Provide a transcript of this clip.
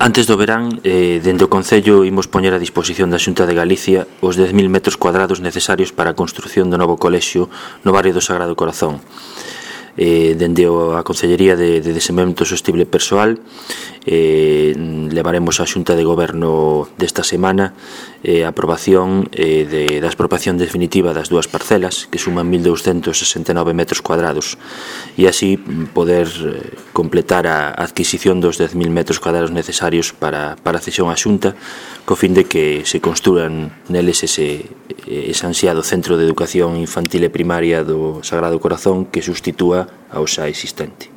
Antes do verán, dende o Concello imos poñer a disposición da Xunta de Galicia os 10.000 metros cuadrados necesarios para a construción do novo colexio no barrio do Sagrado Corazón. Dende a Concellería de Desenvolvemento Sostible Persoal levaremos á Xunta de Goberno desta semana a aprobación da expropiación definitiva das dúas parcelas, que suman 1.269 metros cuadrados, e así poder completar a adquisición dos 10.000 metros cuadrados necesarios para a cesión á Xunta, co fin de que se construan neles ese ansiado centro de educación infantil e primaria do Sagrado Corazón que sustitúa ao xa existente.